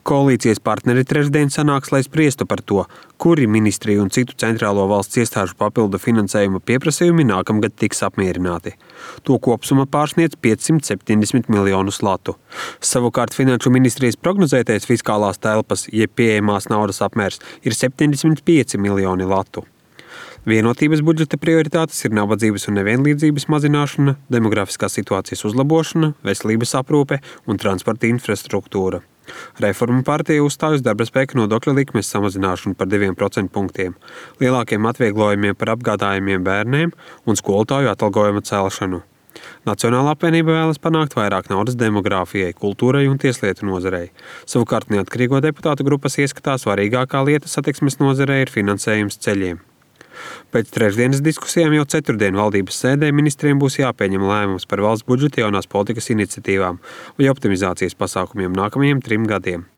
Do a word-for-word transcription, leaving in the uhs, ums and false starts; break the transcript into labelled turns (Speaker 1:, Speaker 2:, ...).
Speaker 1: Koalīcijas partneri trešdien sanāks, lai spriestu par to, kuri ministriju un citu centrālo valsts iestāžu papildu finansējuma pieprasījumi nākamgad tiks apmierināti. To kopsumma pārsniedz piecsimt septiņdesmit miljonus latu. Savukārt Finanšu ministrijas prognozētais fiskālās telpas, jeb pieejamās naudas apmērs, ir septiņdesmit pieci miljoni latu. Vienotības budžeta prioritātes ir nabadzības un nevienlīdzības mazināšana, demografiskās situācijas uzlabošana, veselības aprūpe un transporta infrastruktūra. Reformu partija uzstāj uz darbaspēka nodokļa likmes samazināšanu par diviem procentu punktiem, lielākiem atvieglojumiem par apgādājumiem bērniem un skolotāju atalgojuma celšanu. Nacionālā apvienība vēlas panākt vairāk naudas demogrāfijai, kultūrai un tieslietu nozarei. Savukārt neatkarīgo deputātu grupas ieskatā svarīgākā lieta satiksmes nozarei ir finansējums ceļiem. Pēc trešdienas diskusijām jau ceturtdien valdības sēdē ministriem būs jāpieņem lēmums par valsts budžeta jaunās politikas iniciatīvām vai optimizācijas pasākumiem nākamajiem trim gadiem.